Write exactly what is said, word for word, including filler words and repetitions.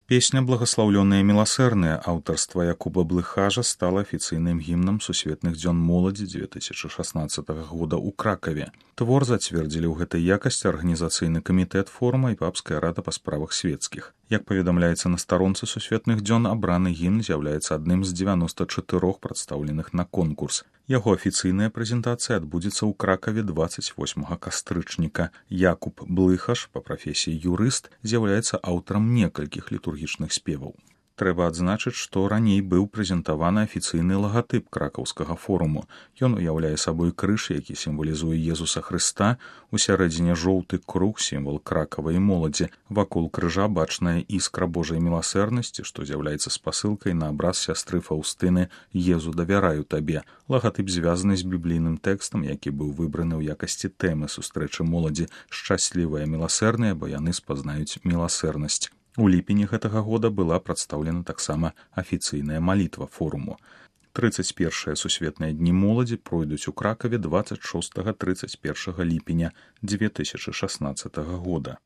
Песня «Благословленные милосердные» аўтарства Якуба Блыхажа стала афіцыйным гімнам сусветных дзён моладзі дзве тысячы шаснаццатага года ў Кракаве. Твор зацвердзілі ў гэтай якасці арганізацыйны камітэт форума і папская рада па справах свецкіх. Як паведамляецца на старонцы сусветных дзён, абраны гімн з'яўляецца адным з дзевяноста чатырох прадстаўленых на конкурс. Яго афіцыйная прэзентацыя адбудзецца ў Кракаве дваццаць восьмага кастрычніка. Якуб Блыхаж, па прафесіі юрыст, з'яўляецца аўтарам некалькіх літургічных спеваў. Трэба адзначыць, што раней быў прэзентаваны афіцыйны лагатып кракаўскага форуму. Ён уяўляе сабой крыж, які сімвалізуе Езуса Хрыста, усярэдзіне жоўты круг, сімвал кракавай моладзі. Вакол крыжа бачная іскра Божай міласэрнасці, што з'яўляецца спасылкай на абраз сястры Фаўстыны «Езу, давяраю табе». Лагатып звязаны з біблійным тэкстам, які быў выбраны ў якасці тэмы сустрэчы моладзі «Шчаслівыя міласэрныя, бо яны спазнаюць міласэрнасць». У ліпені гэтага года была прадстаўлена таксама афіцыйная малітва форуму. трыццаць першыя сусветныя дні моладзі пройдуць у Кракаве дваццаць шостага трыццаць першага ліпеня дзве тысячы шаснаццатага года.